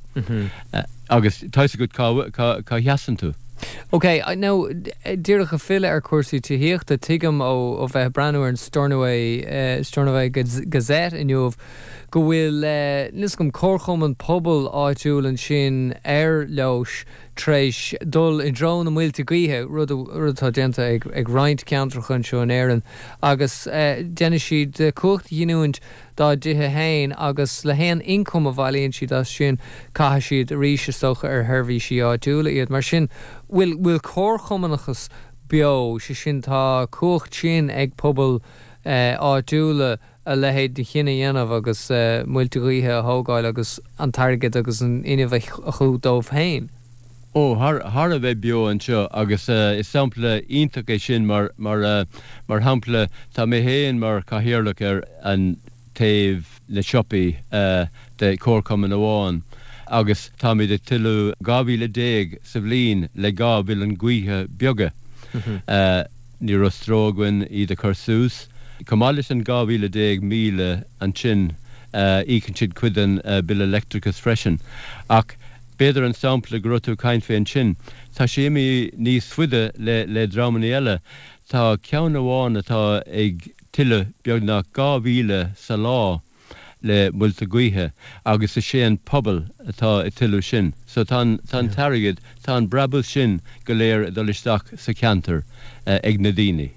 agus tá fhios agat cá cá sheasann tú. Ok, now díreach ag filleadh ar chúrsaí tithíochta, tuigim ó ó bheith ag breathnú ar an Stornoway Stornoway Gazette inniu go bhfuil, níl fhios agam, comharchumann pobail áitiúil ansin ar Leodhais tar éis dul i dtreo na muilte gaoithe, rud atá déanta ag roinnt ceantracha anseo in Éirinn, agus déanfaidh siad cumhacht a ghiniúint dá dtithe féin agus le haon ioncam a bhailíonn siad as sin, caithfidh siad arís, is dócha, ar sheirbhísí áitiúla iad. Mar sin, bhfuil bhfuil comharchumannachas beo, sé sin, tá cumhacht sin ag pobail áitiúla a leithéid de chinneadh a dhéanamh agus muilte gaoithe a thógáil agus an t-airgead agus an fhuinneamh a shú dóibh féin. Ó, thar thar a bheith beo anseo agus is sampla iontach é sin mar mar mar shampla tá mé féin mar chathaoirleach ar an taobh na siopaí de chomharchumann amháin agus táimid ag tuilleamh dhá mhíle déag sa bhliain le dhá mhuileann gaoithe beaga. Ní raibh stró againn iad a chur suas. Chomh maith leis an dhá mhíle déag míle ansin íocann siad cuid den bille leictreachais freisin. Ach b'fhéidir an sampla go raibh tú ag caint fé ansin, tá sé imithe níos faide le le dreamanna eile. Tá ceann amháin atá ag tuilleamh beagnach dhá mhíle sa lá le muilte gaoithe agus is é an pobal atá ag tuilleamh sin. So tá an tá an t-airgead, tá an brabús sin go léir ag dul isteach sa cheantar ag na daoine.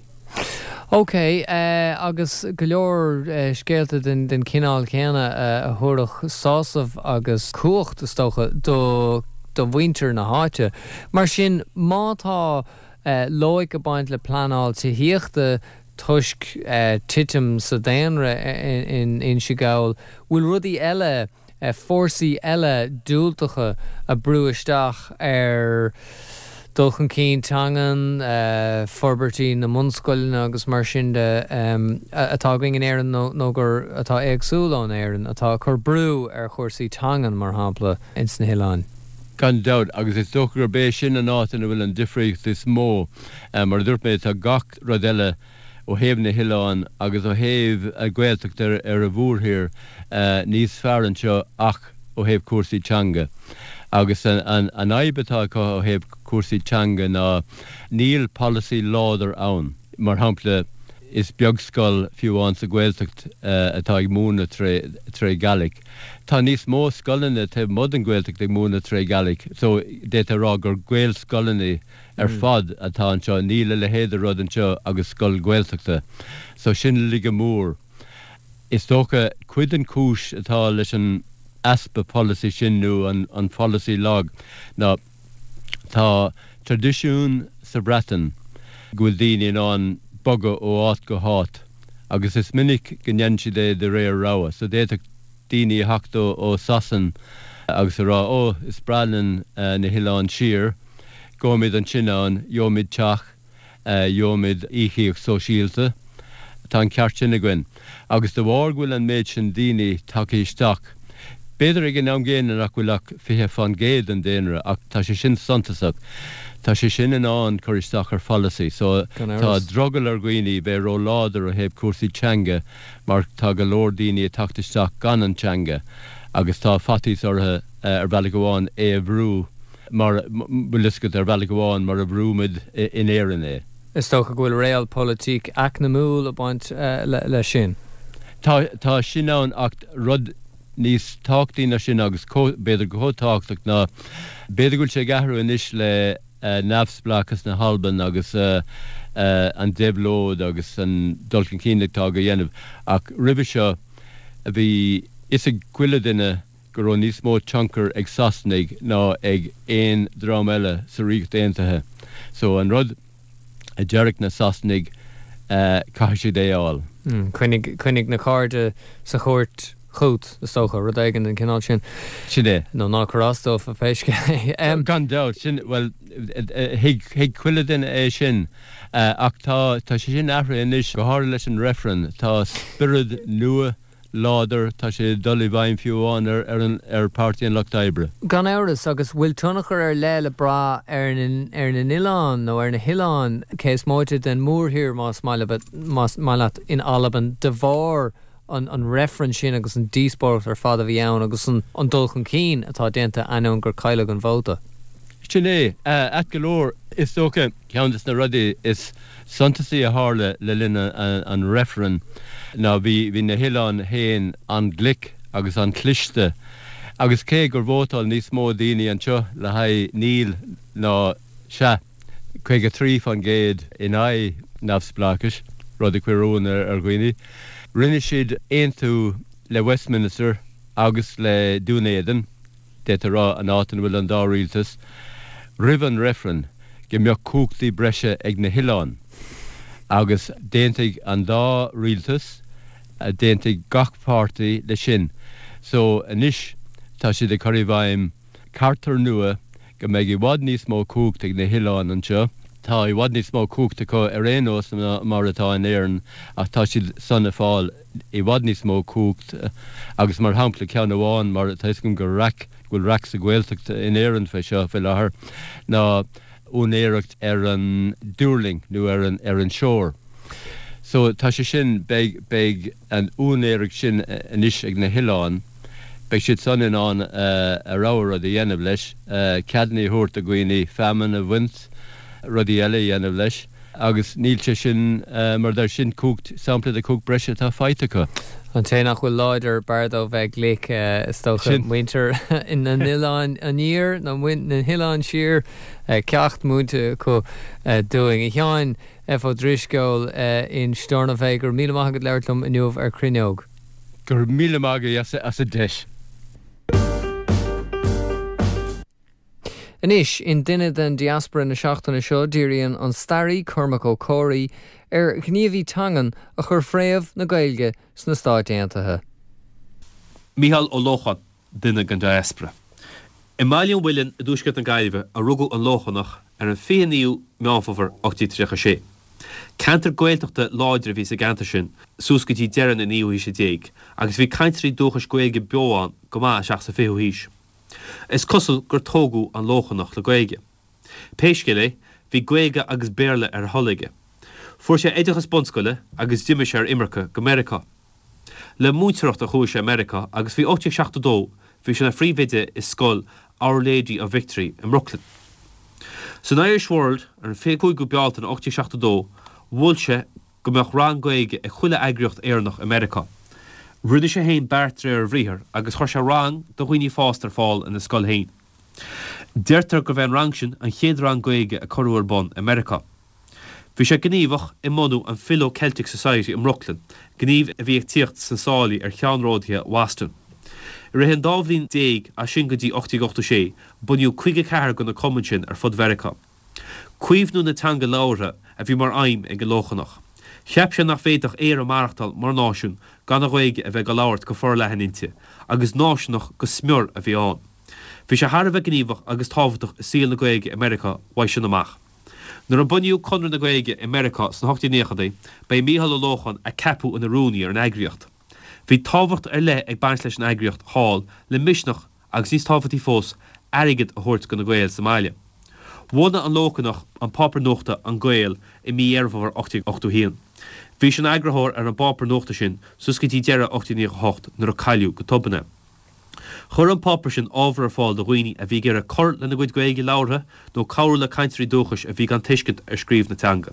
Ok, agus go leor scéalta den den chineál céanna a thabharfadh sásamh agus cumhacht, is dócha, do do mhuintir na háite. Mar sin, má tá loighic ag baint le pleanáil tithíochta toisc titim sa daonra in Inse Gall, bhfuil rudaí eile, fórsaí eile diúltacha ag brú isteach ar dul chun cinn teangan, forbairtí na mbunscoileanna agus mar sin de atá againn in Éirinn nó gur atá éagsúil ón Éirinn, atá ag cur brú ar chúrsaí teangan, mar shampla, ins na hoileáin. Gan dabht, agus is dócha gurb é sin an áit ina bhfuil an difríocht is mó. Mar a dúirt mé, tá gach rud eile ó thaobh na hoileán agus ó thaobh Gaeltacht ar ar an mhórthír níos fearr anseo ach ó thaobh cúrsaí teanga. Agus an an an fhadhb atá acu ó thaobh cúrsaí teanga ná níl polasaí láidir ann. Mar shampla, is beag scoil fiú amháin sa Ghaeltacht atá ag múineadh tré tré Gaelic. Tá níos mó scoileanna taobh amuigh den Ghaeltacht ag múineadh tré Gaelic so d'fhéadfá a rá gur Gaelscoileanna ar fad atá anseo. Níl a leithéid de rud anseo agus scoil Ghaeltachta. So sin laige mór. Is dócha cuid den chúis atá leis an easpa polasaí sin nó an an pholasaí lag ná tá traidisiún sa Bhreatain go bhfuil daoine in ann bogadh ó áit go háit agus is minic go ndéanann siad é de réir rogha. So d'fhéadfadh daoine a theacht ó Sasain agus a rá 'Ó, is breá linn na hoileáin siar, gabhfaimid ansin ann, gheobhaimid teach, gheobhaimid íocaíocht sóisialta, tá an ceart sin againn. Agus de bharr go bhfuil an méid sin daoine tagtha isteach, b'fhéidir ag an am gcéanna nach bhfuil ach fiche fán gcéad den daonra ach tá sé sin suntasach, tá sé sin in ann cur isteach ar pholasaí. So tá drogall ar dhaoine bheith ró-láidir ó thaobh cúrsaí teanga mar tá go leor daoine ag teacht isteach gan an teanga agus tá faitíos orthu ar bhealach amháin é a bhrú mar, bhfuil fhios agat, ar bhealach amháin mar a bhrú muid in Éirinn é. Is dócha go bhfuil realpolitik eacnamúil ag baint leis sin. Tá, tá sin ann ach rud níos tábhachtaí ná sin agus b'fhéidir chomh tábhachtach ná b'fhéidir go bhfuil sé ag athrú anois le neamhspleáchas na hAlban agus an déabhlóid agus an dul chun cinn atá á dhéanamh ach roimhe seo bhí fhios ag chuile duine go raibh níos mó tionchar ag Sasanaigh ná ag aon dream eile sa Ríocht Aontaithe. So an rud a déarfadh na Sasanaigh, caithfidh siad é a fháil. Coinnigh, coinnigh na cairde sa chúirt chút, is dócha, rud éigin den chineál sin. Sin é. Nó ná cuir as dófa pé scéal é. Gan dabht, sin, bhuel, thuig, thuig chuile duine é sin. Ach tá, tá sé sin athraithe anois, go háirithe leis an reifreann. Tá spiorad nua láidir, tá sé ag dul i bhfeidhm fiú amháin ar ar an ar Páirtí an Lucht Oibre. Gan amhras, agus bhfuil tionchar ar leith le brath ar na ar na n-oileán nó ar na hoileáin, cé is móite den mhórthír más maith leat más maith leat, in Albain de bharr an an reifreann sin agus an díospóireacht ar fad a bhí ann agus an an dul chun cinn atá déanta ainneoin gur cailleadh an vóta. Sin é. Ait go leor, is dócha, ceann de na rudaí is suntasaí a tharla le linn an reifrinn ná bhí bhí na hoileáin féin an-ghlic agus an-chliste agus cé gur vótáil níos mó daoine anseo le haghaidh níl ná sea, caoga trí faoin gcéad in aghaidh neamhspleáchais, rud a chuir ionadh ar dhaoine, rinne siad aontú le Westminster agus le Dún Éideann. D'fhéadfá a rá, an áit ina bhfuil an dá rialtas, roimh an reifreann go mbeadh cumhachtaí breise ag na hoileáin. Agus d'aontaigh an dá rialtas, d'aontaigh gach páirtí leis sin. So anois tá siad ag cur i bhfeidhm charter nua go mbeidh i bhfad níos mó cumhacht ag na hoileáin anseo. Tá i bhfad níos mó cumhacht acu ar aon nós ná mar atá in Éirinn ach tá siad san ag fáil i bhfad níos mó cumhacht agus mar shampla ceann amháin mar tá fhios agam gur raic, go bhfuil raic sa Ghaeltacht in Éirinn fé seo faoi láthair ná úinéireacht ar an dtuirling nó ar an ar an shore. So tá sé sin, beidh, beidh an úinéireacht sin anois ag na hoileáin, beidh siad san in ann a rogha rud a dhéanamh leis, ceadanna a thabhairt do dhaoine feamainn a bhaint, rudaí eile a dhéanamh leis agus níl sé sin mar dar sin cumhacht, sampla de chumhacht breise atá faighte acu. An té nach bhfuil láidir, b'fhearr dó bheith glic, is dócha. Muintir na n-oileán aniar nó na n-oileán siar, ceacht múinte acu dúinn. A Sheáin F. Ó Drisceoil, Insteornabhae, go raibh míle maith agat labhairt liom inniu ar Cruinneog. Go raibh míle maith agat as an deis. Anois, in Duine den Diaspora na seachtaine seo, díríonn an staraí Cormac Ó Comhraí ar ghníomhaí teangan a chuir fréamh na Gaeilge sna Stáit Aontaithe. Mícheál Ó Lócháin, duine den diaspora. I mBaile an Mhuilinn i dtuaisceart na Gaillimhe a rugadh an Lóchánach ar an fiche naoú Meán Fómhair ocht déag tríocha sé. Ceantar Gaeltachta láidir a bhí sa gceantar sin suas go dtí deireadh na naoú haoise déag agus bhí cainteoirí dúchais Gaeilge beo ann go maith isteach sa fichiú haois. Is cosúil gur tógadh an Lóchánach le Gaeilge. Pé scéal é, bhí Gaeilge agus Béarla ar a thoil aige. Fuair sé oideachas bunscoile agus d'imigh sé ar imirce go Meiriceá. Le múinteoireacht a chuaigh sé Meiriceá agus faoi ocht déag seachtó dó bhí sé ina phríomhoide i scoil Our Lady of Victory i mBrooklyn. San Irish World ar an fiche cúigiú Bealtaine ocht déag seachtó dó mhol sé go mbeadh rang Gaeilge ag chuile eagraíocht Éireannach i Meiriceá. Rinne sé féin beart de réir a bhriathair agus chuir sé rang do dhaoine fásta ar fáil ina scoil féin. Deirtear gurbh é an rang sin an chéad rang Gaeilge a cuireadh ar bun i Meiriceá. Bhí sé gníomhach i mbunú an Philo-Celtic Society i mBrooklyn, gníomh a bhí ag tíocht sna sálaí ar cheannródaithe Bhoston. I rith an dá bhliain déag as sin go dtí ocht déag ochtó sé, bunaíodh caoga ceathair de na cumainn sin ar fud Mheiriceá. Caomhnú na teanga labhartha a bhí mar aidhm ag an Lóchannach. Cheap sé nach bhféadfadh Éire maireachtáil mar náisiún gan an Ghaeilge a bheith á labhairt go forleathan inti, agus náisiúnach go smior a bhí ann. Bhí sé thar a bheith gníomhach agus tábhachtach i saol na Gaeilge i Meiriceá uaidh sin amach. Nuair a bunaíodh Conradh na Gaeilge i Meiriceá sna hocht déag naochaidí, ba é Mícheál Ó Lócháin a ceapadh ina rúnaí ar an eagraíocht. Bhí tábhacht ar leith ag baint leis an eagraíocht thall le misneach agus níos tábhachtaí fós, airgead a thabhairt do na Gaeil sa mbaile. Bhunaigh an Lóchannach an páipéar nuachta An Gael i mí Dheireadh Fómhair ocht déag ochtó a haon. Bhí sé ina eagarthóir ar an bpáipéar nuachta sin suas go dtí deireadh ocht déag naocha a hocht nuair a cailleadh go tobann é. Chuir an páipéar sin ábhar ar fáil do dhaoine a bhí ag iarraidh cur lena gcuid Gaeilge labhartha nó cabhrú le cainteoirí dúchais a bhí gan tuiscint ar scríobh na teanga.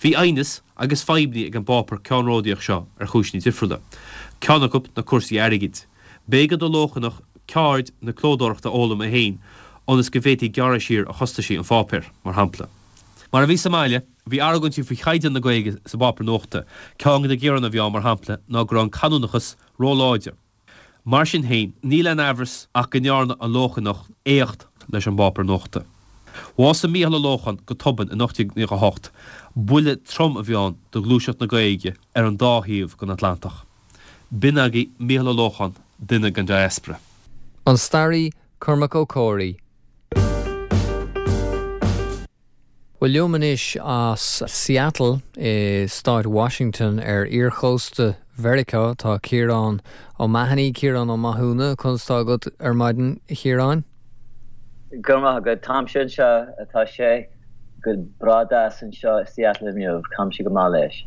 Bhí aighneas agus fadhbanna ag an bpáipéar ceannródaíoch seo ar chúiseanna difriúla. Ceann acu ná cúrsaí airgid. B'éigean don Lóchannach ceird na clódóireachta a fhoghlaim é féin ionas go bhféadfaí gearradh siar ar chostaisí an pháipéir, mar shampla. Mar a bhí sa mbaile, bhí argóintí faoi chaighdeán na Gaeilge sa bpáipéar nuachta. Ceann de na gearáin a bhí ann, mar shampla, ná go raibh an canúnachas róláidir. Mar sin féin, níl aon amhras ach go ndearna an Lóchannach éacht leis an bpáipéar nuachta. Bhásaigh Mícheál Ó Lócháin go tobann in ocht déag naocha a hocht. Buille trom a bhí ann do ghluaiseacht na Gaeilge ar an dá thaobh den Atlantach. B'in agaibh Mícheál Ó Lócháin, duine den diaspora. An staraí Cormac Ó Comhraí. Bhuel, liom anois as Seattle i stát Washington ar iarchósta Mheiriceá tá Ciarán O'Mahony, Ciarán Ó Mathúna, conas tá agat ar maidin, a Chiaráin? Go raibh maith agat. Táimse anseo, tá sé go breá deas anseo i Seattle inniu, táimse go maith leis.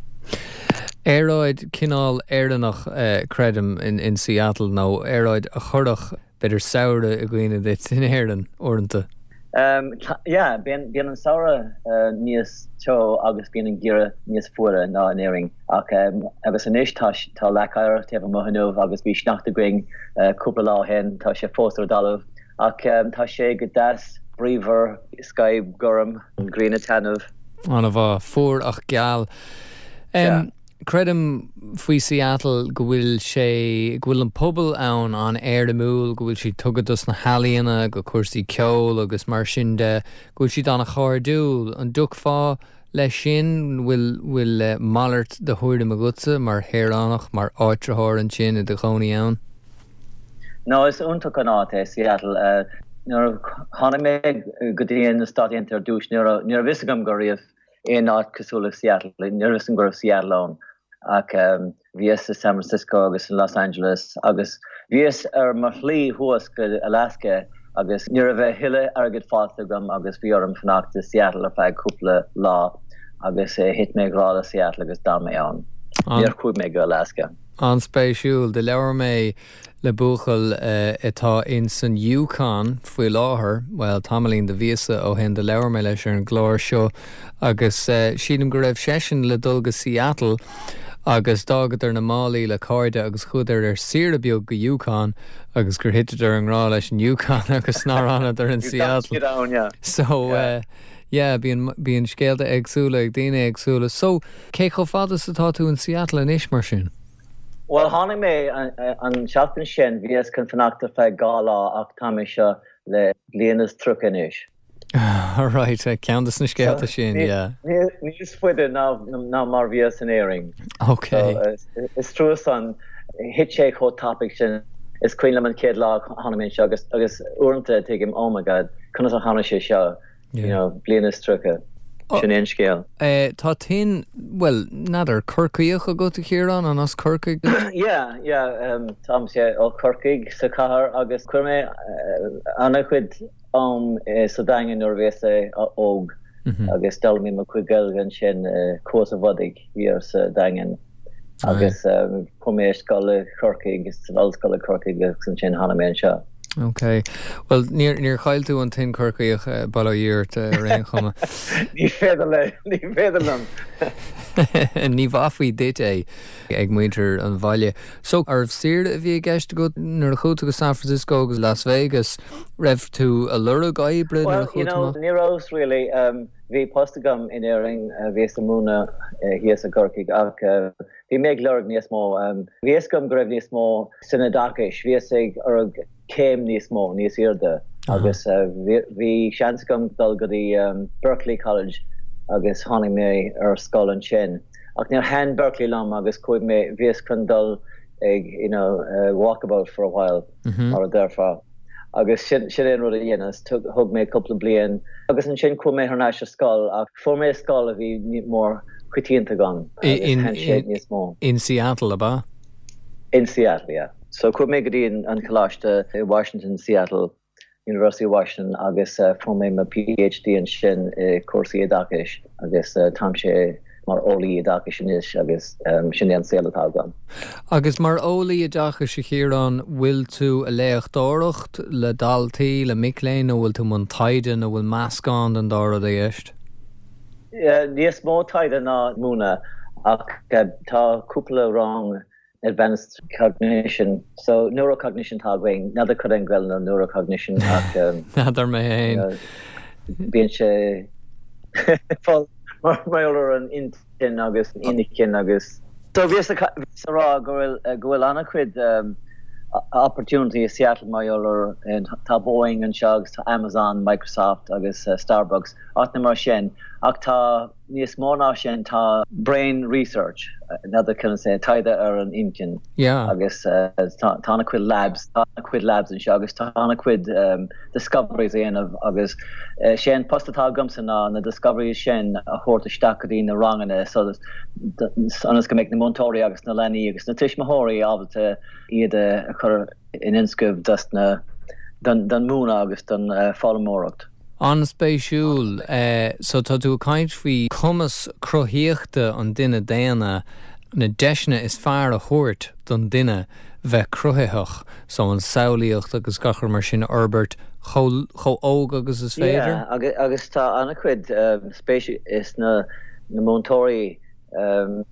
Aeráid cineál Éireannach, creidim, in Seattle, nó aeráid a chuirfeadh b'fhéidir samhradh i gcuimhne duit in Éirinn uaireanta. Yeah, bíonn bíonn an samhradh níos teo agus bíonn an geimhreadh níos fuaire ná in Éirinn ach agus anois tá tá leac oighir taobh amuigh inniu agus bhí sneachta againn cúpla lá ó shin, tá sé fós ar an dtalamh ach tá sé go deas bríomhar, sky gorm, an ghrian ag taitneamh. An-mhaith, fuar ach geal. Yeah. Creidim faoi Seattle go bhfuil sé, go bhfuil an pobal ann an-éirimiúil, go bhfuil siad tugtha dos na healaíona, go cúrsaí ceoil agus mar sin de, go bhfuil siad an-chairdiúil. An dtiocfá leis sin? Bhfuil, bhfuil malairt de thuairim agatsa mar shaoránach, mar áitritheoir ansin i do chónaí ann? No, is iontach an áit é Seattle. Nuair a tháinig mé go dtí na Stáit Aontaithe ar dtús, ní raibh, ní raibh fhios agam go raibh aon áit cosúil le Seattle, ní raibh fhios agam go raibh Seattle ann ach bhíos i San Francisco agus in Los Angeles agus bhíos ar mo shlí thuas go Alaska agus ní raibh a thuilleadh airgid fágtha agam agus bhí orm fanacht i Seattle ar feadh cúpla lá agus thit mé i ngrá le Seattle agus d'fhan mé ann. Níor chuaigh mé go Alaska. An-spéisiúil. Do labhair mé le buachaill atá in san Yukon faoi láthair, bhuel, tamaillín de mhíosa ó shin do labhair mé leis ar an gclár seo agus sílim go raibh seisean le dul go Seattle agus d'fhágadar na málaí le cairde agus chuadar ar saoire beag go Yukon agus gur thiteadar i ngrá leis an Yukon agus nár fhanadar in Seattle. So, yeah, bíonn, bíonn scéalta éagsúla ag daoine éagsúla. So, cé chomh fada is atá tú in Seattle anois mar sin? Bhuel, tháinig mé an seachtain sin, bhíos chun fanacht ar feadh dhá lá ach tá mé anseo le bliain is tríocha anois. Right, ceann de na scéalta sin, yeah. Níos faide ná mar bhíos in Éirinn. Ok. Is trua san, thit sé chomh tapaidh sin. Is cuimhin liom an chéad lá a tháinig mé anseo agus agus uaireanta tuigim, oh my God, conas a tháinig sé seo? You know, bliain is tríocha. Sin é an scéal. Tá tuin, bhuel, n'fheadar, Corcaíoch agat a Chiaráin, an as Corcaigh duit? Yeah, yeah, táimse ó Chorcaigh sa chathair agus chuir mé an-chuid am sa Daingean nuair a bhíos óg. agus d'fhoghlaim mé mo chuid Gaeilge ansin Cuas an Bhodaigh thiar sa Daingean agus chuaigh mé ar scoil i Corcaigh san ollscoil i Corcaigh agus ansin tháinig mé anseo. Ok. Well níor níor chaill tú an tuin Corcaíoch bail ó Dhia ort ar aon chuma. Ní féidir le ní féidir liom. Ní mhaithfí duit é ag muintir an bhaile. So arbh saoire a bhí i gceist agat nuair a chuaigh tú go San Francisco agus Las Vegas, raibh tú ag lorg oibre nuair a Well, you know, ní raibh really um, bhí post agam in Éirinn bhíos ag múineadh thíos i gCorcaigh ach bhí mé ag lorg níos mó. Um, bhí fhios agam go raibh níos mó san oideachas, bhíos ag lorg céim níos mó níos airde agus bhí seans agam dul go dtí um, Berkeley College agus tháinig mé ar scoil ansin. Ach níor thaitin Berkeley liom agus chuaigh mé bhíos chun dul ag you know, uh, walkabout for a while mm -hmm. mar a déarfá. agus sin sin an rud a dhéanas thug mé cúpla bliain agus ansin chuaigh mé thar n-ais ar scoil ach fuair mé scoil a bhí mór coitianta agam in, in, in Seattle ab ea? In Seattle, yeah. So chuaigh mé go dtí an coláiste i Washington Seattle University of Washington agus uh, fuair mé mo PhD ansin i cúrsaí oideachais agus uh, táimse mar eolaí oideachais anois agus um, sin an saol atá agam. Agus mar eolaí oideachais a Chiaráin bhfuil tú ag léachtóireacht le daltaí le mic léinn nó bhfuil tú i mbun taighde nó bhfuil meascán den dá rud i gceist? Níos mó taighde ná múineadh ach uh, tá cúpla rang advanced cognition so neurocognition tá againn n'fheadar cad é an Ghaeilge ar neurocognition ach um, N'fheadar mé féin. Bíonn sé mar mar an intinn agus inchinn agus so bhíos ag rá go bhfuil go bhfuil an-chuid um, opportunity i Seattle mar tá Boeing anseo agus tá Amazon, Microsoft agus uh, Starbucks áiteanna mar sin ach tá níos mó ná sin tá brain research another can say taighde ar an intinn yeah. agus uh, tá an-chuid labs tá an-chuid labs anseo agus tá an-chuid um, discoveries a dhéanamh agus uh, sé an post atá agamsa ná na discoveries sin a thabhairt isteach go dtí na ranganna so ionas go mbeidh na múinteoirí agus na leanaí agus na tuismitheoirí ábalta iad a chur in inscamh dus na don, don múineadh agus don uh, foghlaimeoireacht. An-spéisiúil uh, so tá tú ag caint faoi cumas cruthaíochta an duine daonna na deiseanna is fearr a thabhairt don duine bheith cruthaitheach so an samhlaíocht agus gach rud mar sin fhorbairt chomh óg agus is féidir? Yeah, agus, agus tá an-chuid um, spéis is na, na múinteoirí um,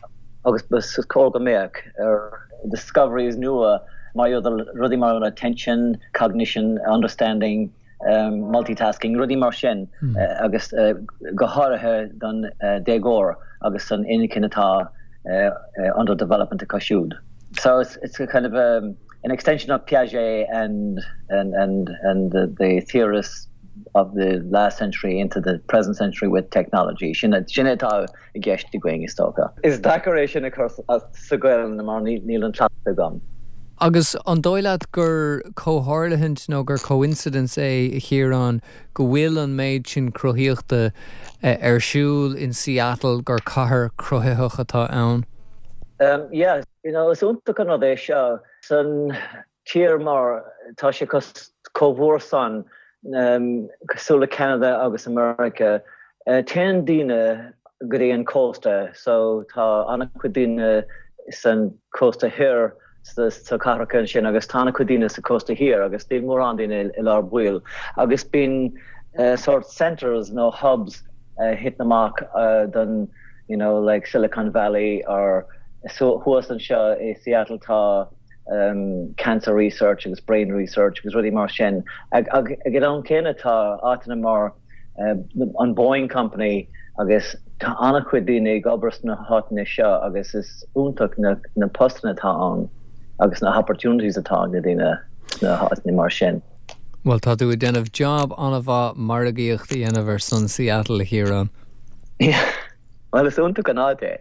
agus bas cóir go mbeadh ar discoveries nua mar rudaí mar attention, cognition, understanding, um, multitasking rudaí mar sin mm. uh, agus uh, go háirithe don uh, déagóir agus an inchinn atá uh, uh, under development acu siúd. So it's, it's a kind of um, an extension of Piaget and and and and the, the theorists of the last century into the present century with technology. Sin sin atá i gceist againn is dócha. Is deacair é sin a chur sa Ghaeilge mar níl an cleachtadh agam. Agus an dóigh leat gur comhtharlúint nó gur coincidence é a Chiaráin go bhfuil an méid sin cruthaíochta ar siúl in Seattle gur cathair cruthaitheach atá ann? Um, yeah, you know, is iontach an rud é seo san tír mar tá sé chomh mór san um, cosúil le Canada agus America. Uh, Téann daoine go dtí an cósta, so tá an-chuid daoine san cósta thoir sa cathracha sin agus tá an-chuid daoine sa cósta thiar agus níl mórán daoine i lár baill agus bíonn uh, sort centers nó hubs uh, thit amach uh, don you know like Silicon Valley or so thuas anseo i Seattle tá um, cancer research agus brain research agus rudaí mar sin ag ag ag an céanna tá áiteanna mar uh, an Boeing company agus tá an-chuid daoine ag obair sna háiteanna seo agus is iontach na, na postanna atá ann agus na opportunities atá na daoine sna háiteanna mar sin. Well tá tú ag déanamh job an-mhaith margaíocht a dhéanamh ar son Seattle a Chiaráin. Yeah. Well is iontach an áit é.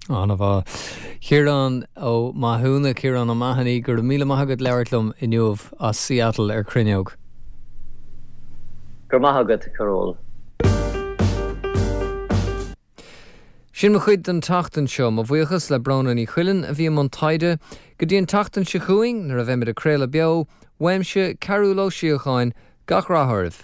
An-mhaith. Ciarán Ó Mathúna Ciarán O'Mahony go raibh míle maith agat labhairt liom inniu as Seattle ar Cruinneog. Gur maith agat Carol. Sin mo chuid den tseachtain seo mo bhuíochas le Bróna Ní Chuilinn a bhí i mbun taighde, go dtí an tseachtain seo chugainn nuair a bheimid ag craoladh beo, uaimse Cearúll Ó Síocháin gach rath oraibh.